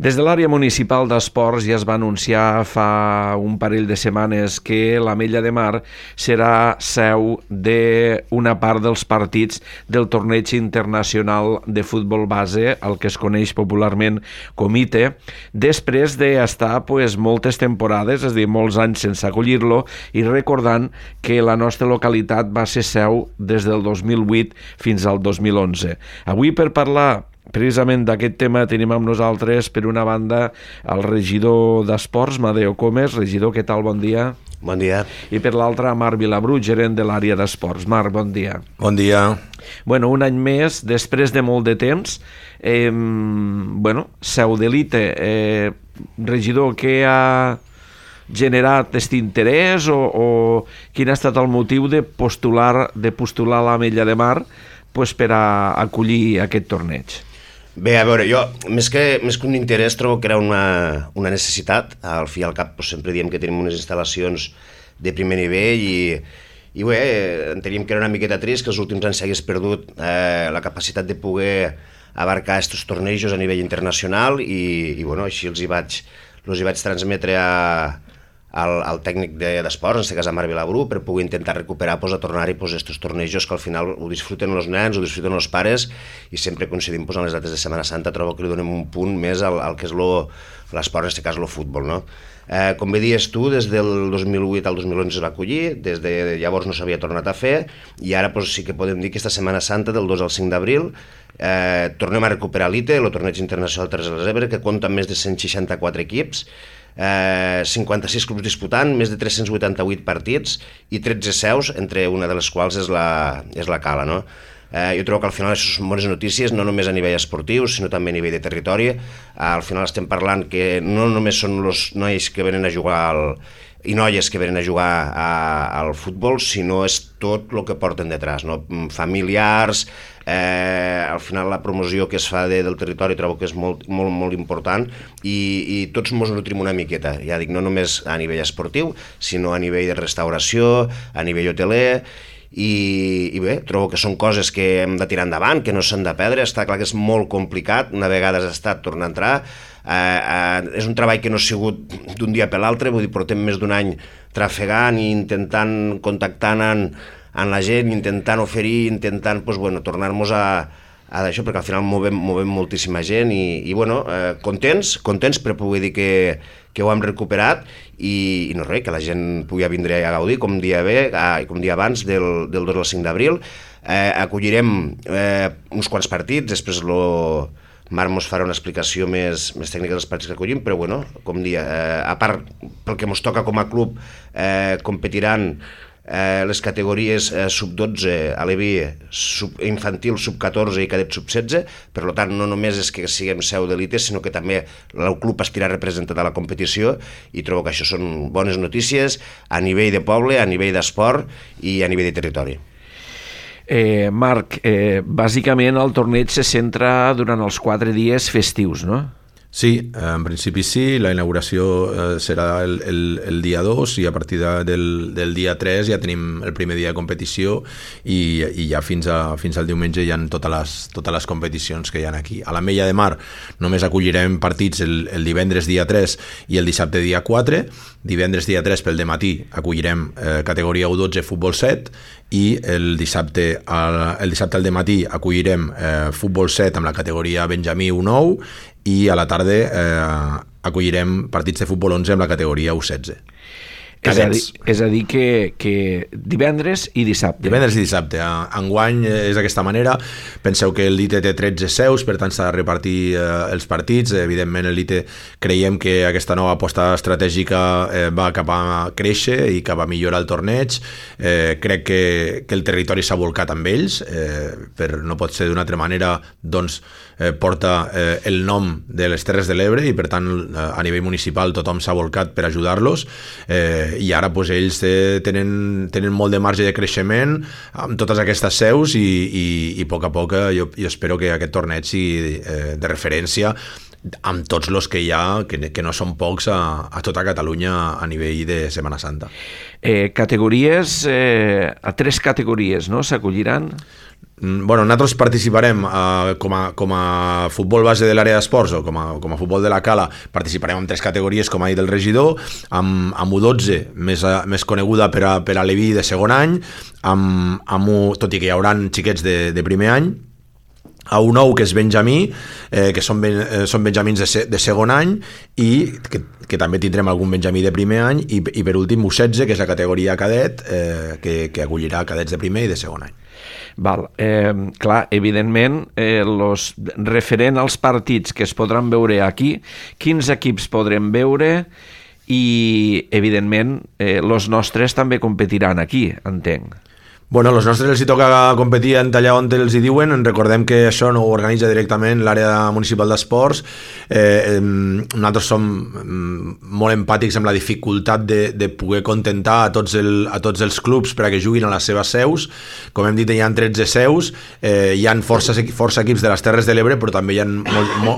Des de l'àrea municipal d'esports ja es va anunciar fa un parell de setmanes que l'Ametlla de Mar serà seu d'una part dels partits del torneig internacional de futbol base, el que es coneix popularment com ITE, després d'estar moltes temporades, és a dir, molts anys sense acollir-lo, i recordant que la nostra localitat va ser seu des del 2008 fins al 2011. Avui, per parlar precisament d'aquest tema, tenim amb nosaltres, per una banda, el regidor d'Esports, Madeo Comes. Regidor, què tal? Bon dia. Bon dia. I per l'altra, Marc Vilabrú, gerent de l'àrea d'Esports. Marc, bon dia. Bon dia. Bueno, un any més, després de molt de temps, seu de l'ITE. Regidor, què ha generat aquest interès o quin ha estat el motiu de postular l'Ametlla de Mar per a acollir aquest torneig? Bé, a veure, jo, més que un interès, trobo que era una necessitat. Al fi i al cap sempre diem que tenim unes instal·lacions de primer nivell i bé, enteníem que era una miqueta trist que els últims anys s'hagués perdut la capacitat de poder abarcar aquests tornejos a nivell internacional i bueno, així els hi vaig transmetre al tècnic d'esports, en aquest cas a Marc Vilabrú, per poder intentar recuperar, a tornar-hi aquests tornejos que al final ho disfruten els nens, ho disfruten els pares, i sempre coincidim en les dates de Setmana Santa. Trobo que li donem un punt més al que és l'esport, en aquest cas el futbol, no? Com bé dius tu, des del 2008 al 2011 es va acollir, des de llavors no s'havia tornat a fer, i ara sí que podem dir que aquesta Setmana Santa, del 2 al 5 d'abril, tornem a recuperar l'ITE, el torneig internacional Terres de l'Ebre, que compta amb més de 164 equips, 56 clubs disputant, més de 388 partits i 13 seus, entre una de les quals és la Cala, no? Jo trobo que al final això són bones notícies, no només a nivell esportiu, sinó també a nivell de territori. Al final estem parlant que no només són els nois que venen a jugar i noies que venen a jugar al futbol, sinó és tot el que porten detrás, no? Familiars, al final la promoció que es fa del territori trobo que és molt, molt, molt important i tots ens nutrim una miqueta, ja dic, no només a nivell esportiu, sinó a nivell de restauració, a nivell hoteler, i bé, trobo que són coses que hem de tirar endavant, que no s'han de perdre. Està clar que és molt complicat, una vegada has estat tornar a entrar, és un treball que no ha sigut d'un dia per l'altre, vull dir, portem més d'un any trafegant i intentant, contactant amb la gent, intentant oferir, intentant tornar-nos a d'això, perquè al final movem moltíssima gent i contents per poder dir que ho hem recuperat i no res, que la gent pugui vindre a gaudir com dia abans del 2 al 5 d'abril. Acollirem uns quants partits, després Marc ens farà una explicació més tècnica dels partits que acollim, però com dia, a part pel que ens toca com a club, competiran les categories sub-12, aleví, infantil, sub-14 i cadet sub-16, per tant no només és que siguem seu de l'ITE, sinó que també el club estirà representat a la competició i trobo que això són bones notícies a nivell de poble, a nivell d'esport i a nivell de territori. Marc, bàsicament el torneig se centra durant els 4 dies festius, no? Sí, en principi sí, la inauguració serà el dia 2 i a partir del dia 3 ja tenim el primer dia de competició i ja fins al diumenge hi ha totes les competicions que hi ha aquí. A l'Ametlla de Mar només acollirem partits el divendres dia 3 i el dissabte dia 4. Divendres dia 3 pel dematí acollirem categoria U12 futbol 7 i el dissabte al dematí acollirem futbol 7 amb la categoria Benjamí U9 i a la tarda acollirem partits de futbol 11 amb la categoria U16. És a dir que divendres i dissabte. Divendres i dissabte. Enguany és d'aquesta manera. Penseu que l'ITE té 13 seus, per tant s'ha de repartir els partits. Evidentment l'ITE creiem que aquesta nova aposta estratègica va cap a créixer i cap a millorar el torneig. Crec que el territori s'ha volcat amb ells, no pot ser d'una altra manera, doncs porta el nom de les Terres de l'Ebre i per tant a nivell municipal tothom s'ha volcat per ajudar-los i ara ells tenen molt de marge de creixement amb totes aquestes seus i a poc jo espero que aquest torneig sigui de referència amb tots els que hi ha, que no són pocs a tota Catalunya a nivell de Setmana Santa. Categories, a 3 categories, no? S'acolliran? Bueno, nosaltres participarem com a futbol base de l'àrea d'esports o com a futbol de la Cala, participarem en 3 categories, com ha dit el regidor, amb U12, més coneguda per a l'Eví de segon any, tot i que hi haurà xiquets de primer any, a U9, que és Benjamí, que són benjamins de segon any, i que també tindrem algun benjamí de primer any, i per últim U16, que és la categoria cadet, que acollirà cadets de primer i de segon any. Val. Clar, evidentment, referent als partits que es podran veure aquí, quins equips podrem veure i, evidentment, els nostres també competiran aquí, entenc. Bueno, als nostres els hi toca competir en allà on els hi diuen. Recordem que això no ho organitza directament l'àrea municipal d'esports. Nosaltres som molt empàtics amb la dificultat de poder contentar a tots els clubs per a que juguin a les seves seus. Com hem dit, hi ha 13 seus, hi ha força equips de les Terres de l'Ebre, però també hi ha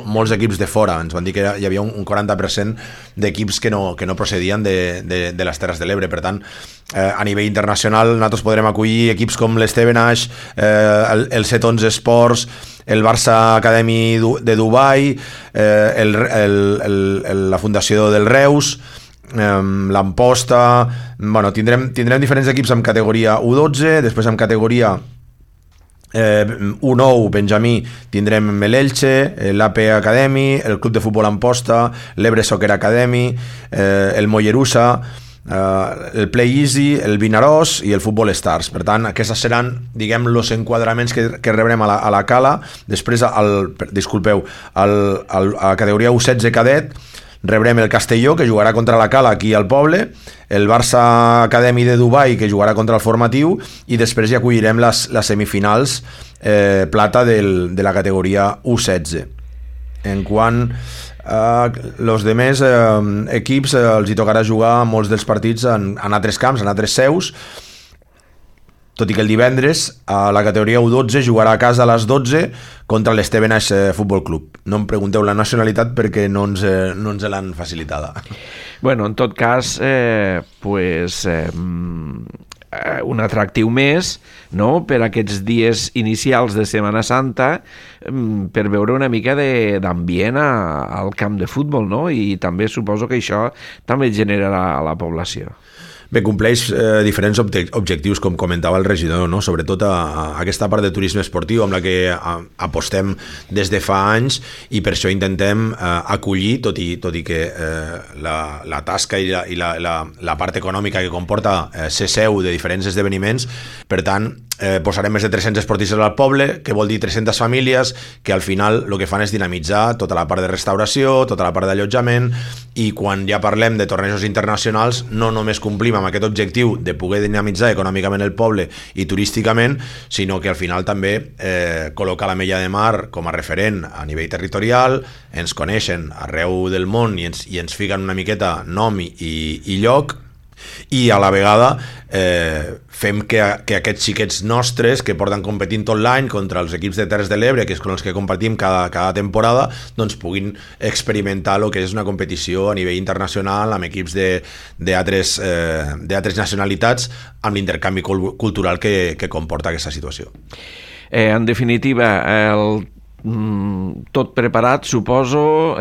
molts equips de fora. Ens van dir que hi havia un 40% d'equips que no procedien de les Terres de l'Ebre. Per tant, a nivell internacional nosaltres podrem acollir equips com l'Stevenage, el 711 Sports, el Barça Academy de Dubai, la Fundació del Reus, l'Amposta. Bueno, tindrem diferents equips amb categoria U12, després amb categoria U9, Benjamí, tindrem l'Elche, l'AP Academy, el Club de Futbol Amposta, l'Ebre Soccer Academy, el Mollerussa, el Play Easy, el Vinaròs i el Futbol Stars. Per tant, aquests seran, diguem, els enquadraments que rebrem a la Cala. Després, a la categoria U16 cadet, rebrem el Castelló, que jugarà contra la Cala aquí al poble, el Barça Academy de Dubai, que jugarà contra el formatiu, i després ja acollirem les semifinals plata de la categoria U16. En quant els demés equips els hi tocarà jugar molts dels partits en altres camps, en altres seus, tot i que el divendres a la categoria U12 jugarà a casa a les 12 contra l'Stevenage Futbol Club. No em pregunteu la nacionalitat perquè no ens l'han facilitada. Bueno, en tot cas, un atractiu més, no?, per aquests dies inicials de Setmana Santa, per veure una mica d'ambient al camp de futbol, no? I també suposo que això també generarà a la població. Bé, compleix diferents objectius, com comentava el regidor, no? Sobretot a aquesta part de turisme esportiu amb la que apostem des de fa anys, i per això intentem acollir, tot i que la tasca i la part econòmica que comporta ser seu de diferents esdeveniments. Per tant, posarem més de 300 esportistes al poble, que vol dir 300 famílies, que al final el que fan és dinamitzar tota la part de restauració, tota la part d'allotjament, i quan ja parlem de tornejos internacionals no només complim amb aquest objectiu de poder dinamitzar econòmicament el poble i turísticament, sinó que al final també col·loca l'Ametlla de Mar com a referent a nivell territorial, ens coneixen arreu del món i ens fiquen una miqueta nom i lloc, i a la vegada fem que aquests xiquets nostres que porten competint tot l'any contra els equips de Terres de l'Ebre, que és amb els que compartim cada temporada, doncs puguin experimentar el que és una competició a nivell internacional amb equips d'altres nacionalitats, amb l'intercanvi cultural que comporta aquesta situació. En definitiva, tot preparat, suposo.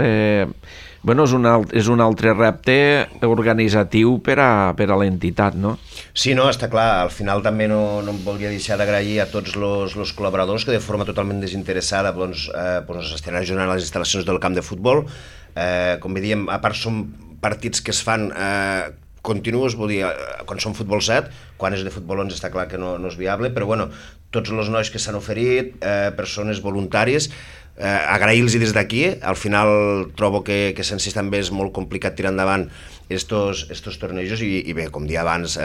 Bueno, és un altre repte organitzatiu per a l'entitat, no? Sí, no, està clar. Al final també no em volia deixar d'agrair a tots els col·laboradors que de forma totalment desinteressada s'estan ajudant a les instal·lacions del camp de futbol. Com bé diem, a part són partits que es fan continuos, vull dir, quan són futbol 7, quan és de futbol 11 està clar que no és viable, però bueno, tots els nois que s'han oferit, persones voluntàries, agrair-los des d'aquí. Al final trobo que sense també és molt complicat tirar endavant estos tornejos i bé, com dia abans,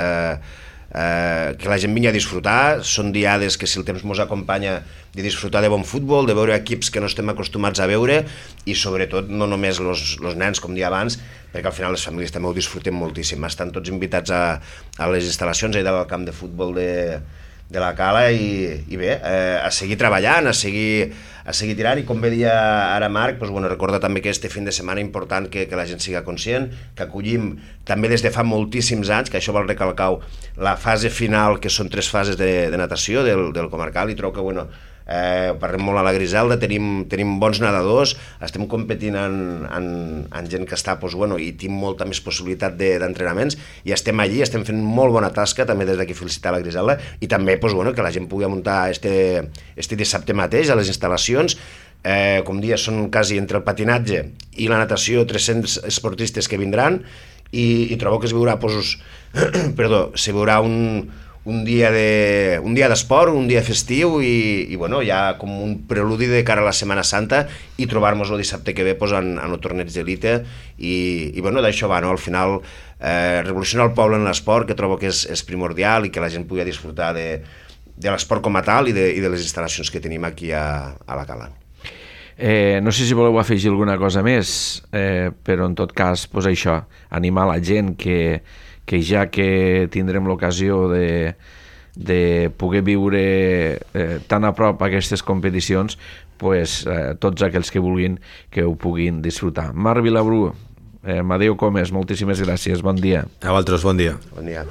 que la gent vingui a disfrutar. Són diades que, si el temps ens acompanya, de disfrutar de bon futbol, de veure equips que no estem acostumats a veure, i sobretot no només els nens, com dia abans, perquè al final les famílies també ho disfruten moltíssim. Estan tots invitats a les instal·lacions allà del camp de futbol de la cala i bé, a seguir treballant, a seguir tirant, i com bé dia ara Marc, doncs, bueno, recorda també que este fin de setmana important que la gent siga conscient, que acollim també des de fa moltíssims anys, que això vol recalcar la fase final, que són 3 fases de natació del comarcal, i trobo que, bueno, parlem molt a la Griselda, tenim bons nedadors, estem competint en gent que està, doncs, bueno, i tinc molta més possibilitat d'entrenaments, i estem allí, estem fent molt bona tasca, també des d'aquí felicitar la Griselda, i també, doncs, bueno, que la gent pugui muntar este dissabte mateix a les instal·lacions. Com dia, són quasi entre el patinatge i la natació 300 esportistes que vindran, i trobo que es veurà, doncs, se veurà un dia d'esport, un dia festiu, i bueno, ja com un preludi de cara a la Setmana Santa, i trobar-nos el dissabte que ve en el torneig d'elite, i bueno, d'això va, no? Al final revolucionar el poble en l'esport, que trobo que és primordial, i que la gent pugui disfrutar de l'esport com a tal, i de les instal·lacions que tenim aquí a la cala. No sé si voleu afegir alguna cosa més, però en tot cas, doncs això, animar la gent que ja que tindrem l'ocasió de poder viure tan a prop aquestes competicions, doncs, tots aquells que vulguin que ho puguin disfrutar. Marc Vilabrú, Amadeu Comes, moltíssimes gràcies, bon dia. A vosaltres, bon dia. Bon dia.